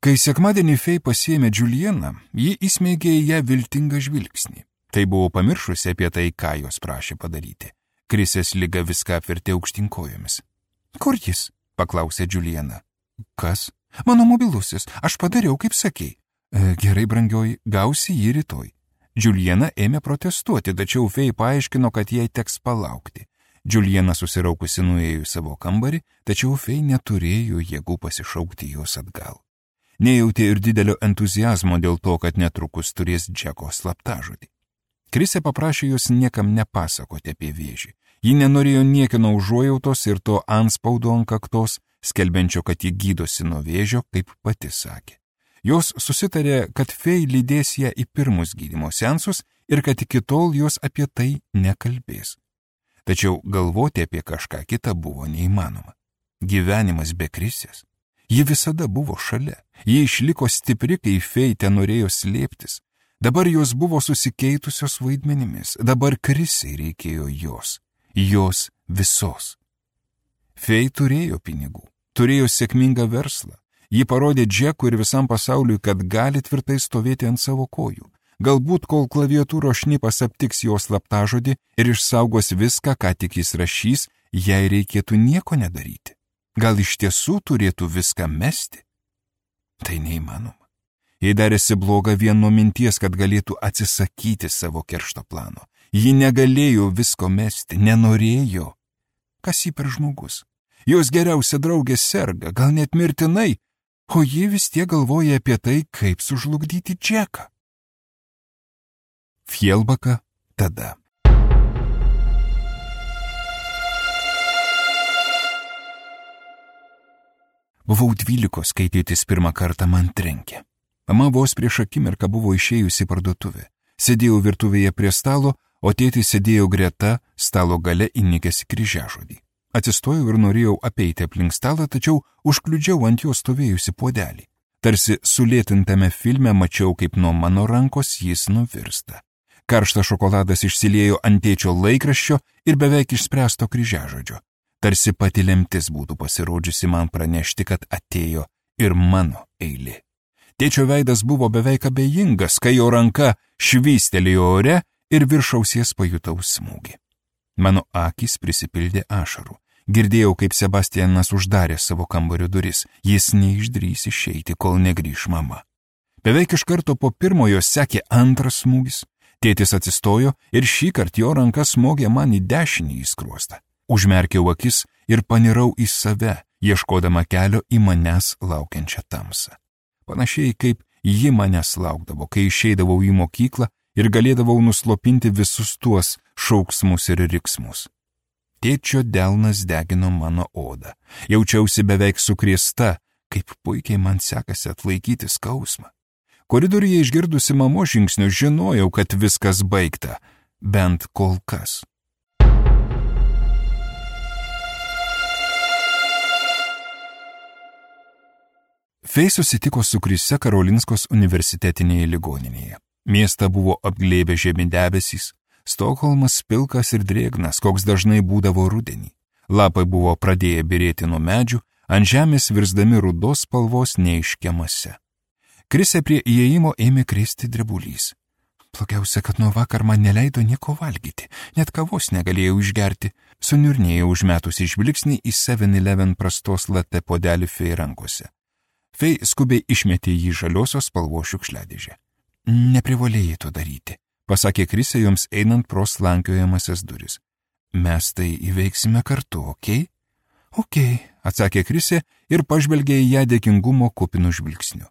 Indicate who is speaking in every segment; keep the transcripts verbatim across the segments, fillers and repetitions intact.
Speaker 1: Kai sekmadienį Fei pasiėmė Julieną, ji įsmeigė į ją viltingą žvilgsnį. Tai buvo pamiršusi apie tai, ką jos prašė padaryti. Krisės liga viską apvertė aukštyn kojomis. Kur jis? Paklausė Juliena. Kas? Mano mobilusis. Aš padariau, kaip sakei. E, gerai, brangioji, gausi jį rytoj. Juliena ėmė protestuoti, tačiau Fei paaiškino, kad jai teks palaukti. Juliena susiraukusi nuėjo į savo kambarį, tačiau Fei neturėjo jėgų pasišaukti jos atgal. Nejautė ir didelio entuziazmo dėl to, kad netrukus turės Džeko slaptažodį. Krisė paprašė jos niekam nepasakoti apie vėžį. Ji nenorėjo niekino užuojautos ir to antspaudo ant kaktos, skelbiančio, kad ji gydosi nuo vėžio, kaip pati sakė. Jos susitarė, kad Fei lydės ją į pirmus gydymo seansus ir kad iki tol jos apie tai nekalbės. Tačiau galvoti apie kažką kitą buvo neįmanoma. Gyvenimas be Krisės. Ji visada buvo šalia. Ji išliko stipri, kai Fei ten norėjo slėptis. Dabar jos buvo susikeitusios vaidmenimis. Dabar Krisei reikėjo jos. Jos visos. Fei turėjo pinigų. Turėjo sėkmingą verslą. Ji parodė Džekui ir visam pasauliui, kad gali tvirtai stovėti ant savo kojų. Galbūt, kol klaviatūros šnipas aptiks jos slaptažodį ir išsaugos viską, ką tik jis rašys, jai reikėtų nieko nedaryti. Gal iš tiesų turėtų viską mesti? Tai neįmanoma. Jai darėsi bloga vien nuo minties, kad galėtų atsisakyti savo keršto plano. Ji negalėjo visko mesti, nenorėjo. Kas ji per žmogus? Jos geriausia draugė serga, gal net mirtinai, o ji vis tiek galvoja apie tai, kaip sužlugdyti Džeką. Fjellbaka tada. Buvau dvylikos, kai tėtis pirmą kartą man trenkė. Mama vos prieš akimirką buvo išėjusi į parduotuvę. Sėdėjau virtuvėje prie stalo, o tėtis sėdėjo greta, stalo gale įnikęs į kryžiažodį. Atsistojau ir norėjau apeiti aplink stalą, tačiau užkliudžiau ant jo stovėjusi puodelį. Tarsi sulėtintame filme mačiau, kaip nuo mano rankos jis nuvirsta. Karštas šokoladas išsiliejo ant tėčio laikraščio ir beveik išspręsto kryžiažodžio. Tarsi pati lemtis būtų pasirodžiusi man pranešti, kad atėjo ir mano eilė. Tėčio veidas buvo beveik abejingas, kai jo ranka švystelėjo ore ir virš ausies pajutau smūgį. Mano akys prisipildė ašarų. Girdėjau, kaip Sebastianas uždarė savo kambario duris. Jis neišdrys išeiti, kol negrįš mama. Beveik iš karto po pirmojo sekė antras smūgis. Tėtis atsistojo ir šįkart jo ranka smogė man į dešinį į skruostą. Užmerkiau akis ir panirau į save, ieškodama kelio į manęs laukiančią tamsą. Panašiai kaip ji manęs laukdavo, kai išeidavau į mokyklą ir galėdavau nuslopinti visus tuos šauksmus ir riksmus. Tėčio delnas degino mano odą. Jaučiausi beveik sukrėsta, kaip puikiai man sekasi atlaikyti skausmą. Koridoriuje išgirdusi mamos žingsnius žinojau, kad viskas baigta, bent kol kas. Fei susitiko su Krise Karolinskos universitetinėje ligoninėje. Miestą buvo apglėbę žemi debesys, Stokholmas pilkas ir drėgnas, koks dažnai būdavo rudenį. Lapai buvo pradėję byrėti nuo medžių, ant žemės virsdami rudos spalvos neiškiamose. Krisė prie įėjimo ėmė krėsti drebulys. Blogiausia, kad nuo vakar man neleido nieko valgyti, net kavos negalėjau išgerti, suniurnėjau užmetusi žvilgsnį į seven eleven prastos latte puodelį Fei rankose. Fei skubiai išmetė jį žaliosios spalvos šiukšliadėžę. Neprivalėjai to daryti, pasakė Krisė joms einant pro slankiojamasias duris. Mes tai įveiksime kartu, okei? Okay? Okei, okay, atsakė Krisė ir pažvelgė į ją dėkingumo kupinu žvilgsniu.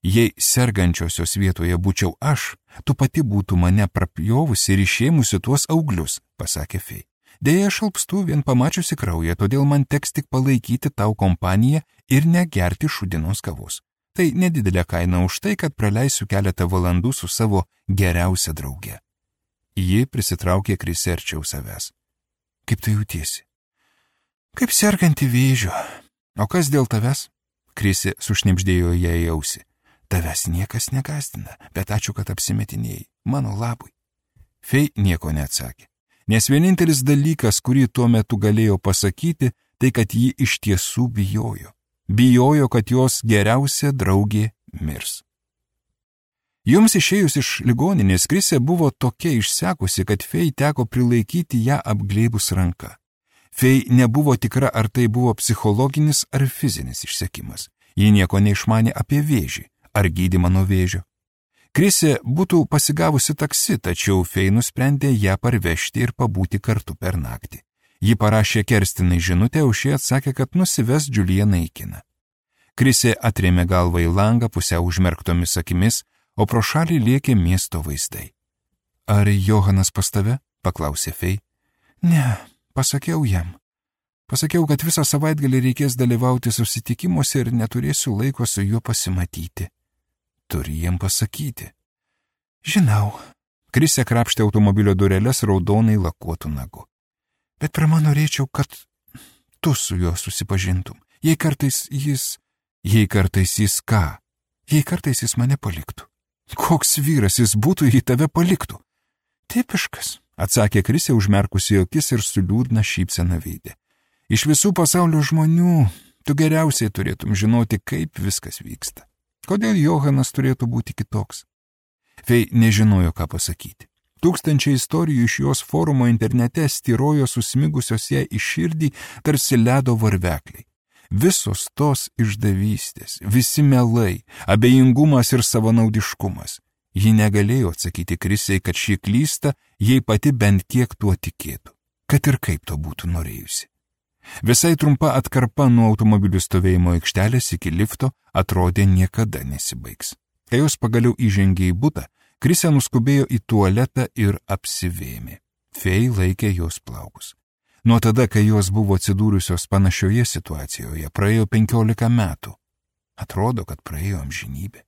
Speaker 1: Jei sergančiosios vietoje būčiau aš, tu pati būtų mane prapjovusi ir išėmusi tuos auglius, pasakė Fei. Deja, aš alpstu vien pamačiusi kraują, todėl man teks tik palaikyti tau kompaniją ir negerti šūdienos kavos. Tai nedidelė kaina už tai, kad praleisiu keletą valandų su savo geriausia drauge. Ji prisitraukė Krisę arčiau savęs. Kaip tu jautiesi? Kaip serganti vėžiu. O kas dėl tavęs? Krisė sušnibždėjo ją į ausį. Tavęs niekas negąsdina, bet ačiū, kad apsimetinėjai. Mano labui. Fei nieko neatsakė. Nes vienintelis dalykas, kurį tuo metu galėjo pasakyti, tai kad ji iš tiesų bijojo. Bijojo, kad jos geriausia draugė mirs. Jums išėjus iš ligoninės, Krisė buvo tokia išsekusi, kad Fei teko prilaikyti ją apglėbus ranką. Fei nebuvo tikra, ar tai buvo psichologinis ar fizinis išsekimas. Ji nieko neišmanė apie vėžį ar gydymą nuo vėžio. Krisė būtų pasigavusi taksi, tačiau Fei nusprendė ją parvežti ir pabūti kartu per naktį. Ji parašė Kerstinai žinutę, o šie atsakė, kad nusives Julianą į kiną. Krisė atrėmė galvą į langą pusiau užmerktomis akimis, o pro šalį lėkė miesto vaizdai. Ar Johanas pas tave? Paklausė Fei. Ne, pasakiau jam. Pasakiau, kad visą savaitgalį reikės dalyvauti susitikimuose ir neturėsiu laiko su juo pasimatyti. Turi jiem pasakyti. Žinau. Krisė krapštė automobilio dureles raudonai lakuotų nagu. Bet pirma norėčiau, kad tu su juo susipažintum. Jei kartais jis... Jei kartais jis ką? Jei kartais jis mane paliktų. Koks vyras jis būtų, jei tave paliktų? Tipiškas, atsakė Krisė užmerkusi akis ir su liūdna šypsena veide. Iš visų pasaulio žmonių tu geriausiai turėtum žinoti, kaip viskas vyksta. Kodėl Johanas turėtų būti kitoks? Fei nežinojo, ką pasakyti. Tūkstančiai istorijų iš jos forumo internete styrojo susmigusios ją į širdį tarsi ledo varvekliai. Visos tos išdavystės, visi melai, abejingumas ir savanaudiškumas. Ji negalėjo atsakyti Krisei, kad šį klystą, jei pati bent kiek tuo tikėtų, kad ir kaip to būtų norėjusi. Visai trumpa atkarpa nuo automobilių stovėjimo aikštelės iki lifto atrodė niekada nesibaigs. Kai jos pagaliau įžengė į butą, Krisė nuskubėjo į tualetą ir apsivėmė. Fei laikė jos plaukus. Nuo tada, kai jos buvo atsidūrusios panašioje situacijoje, praėjo penkiolika metų. Atrodo, kad praėjo amžinybė.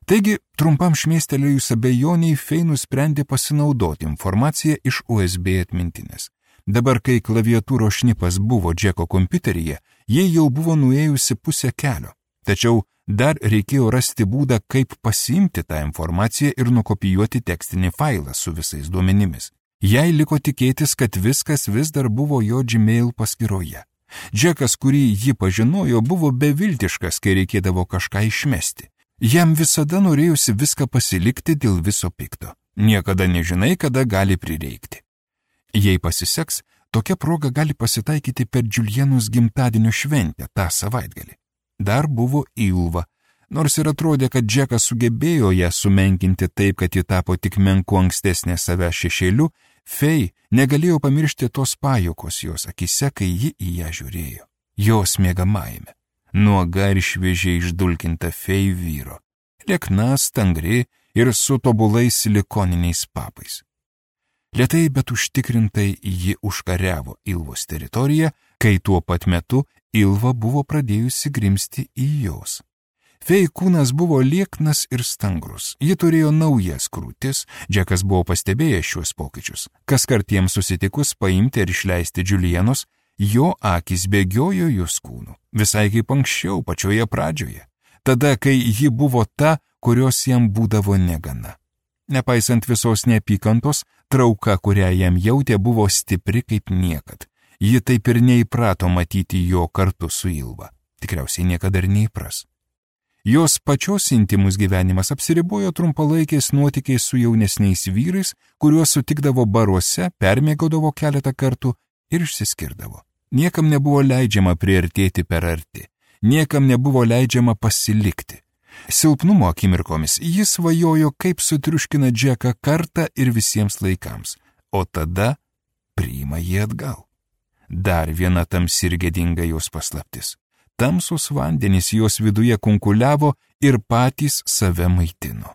Speaker 1: Taigi, trumpam šmėstelėjus abejoniai, Fei nusprendė pasinaudoti informaciją iš U S B atmintinės. Dabar, kai klaviatūros šnipas buvo Džeko kompiuteryje, jie jau buvo nuėjusi pusę kelio. Tačiau dar reikėjo rasti būdą, kaip pasiimti tą informaciją ir nukopijuoti tekstinį failą su visais duomenimis. Jai liko tikėtis, kad viskas vis dar buvo jo Gmail paskyroje. Džekas, kurį ji pažinojo, buvo beviltiškas, kai reikėdavo kažką išmesti. Jam visada norėjusi viską pasilikti dėl viso pikto. Niekada nežinai, kada gali prireikti. Jei pasiseks, tokia proga gali pasitaikyti per Julianos gimtadienio šventę tą savaitgalį. Dar buvo Ilva. Nors ir atrodė, kad Džekas sugebėjo ją sumenkinti taip, kad ji tapo tik menku ankstesnė save šešėliu, Fei negalėjo pamiršti tos pajokos jos akise, kai ji į ją žiūrėjo. Jos mėgamajame. Nuoga ir šviežiai išdulkinta Fei vyro. Liekna, stangri ir su tobulais silikoniniais papais. Lėtai, bet užtikrintai ji užkariavo Ilvos teritoriją, kai tuo pat metu Ilva buvo pradėjusi grimzti į jos. Fei kūnas buvo lieknas ir stangrus. Ji turėjo naujas krūtis, Džekas buvo pastebėjęs šiuos pokyčius. Kaskart jiems susitikus paimti ir išleisti Julianos, jo akis bėgiojo jos kūnu. Visai kaip anksčiau, pačioje pradžioje. Tada, kai ji buvo ta, kurios jam būdavo negana. Nepaisant visos neapykantos, trauka, kurią jam jautė, buvo stipri kaip niekad. Ji taip ir neįprato matyti jo kartu su Ilva. Tikriausiai niekada ir neįpras. Jos pačios intimus gyvenimas apsiribojo trumpalaikiais nuotykiais su jaunesniais vyrais, kuriuos sutikdavo baruose, permiegodavo keletą kartų ir išsiskirdavo. Niekam nebuvo leidžiama priartėti per arti, niekam nebuvo leidžiama pasilikti. Silpnumo akimirkomis jis svajojo, kaip sutriuškina Džeką kartą ir visiems laikams, o tada priima jį atgal. Dar viena tamsi ir gėdinga jos paslaptis. Tamsus vandenys jos viduje kunkuliavo ir patys save maitino.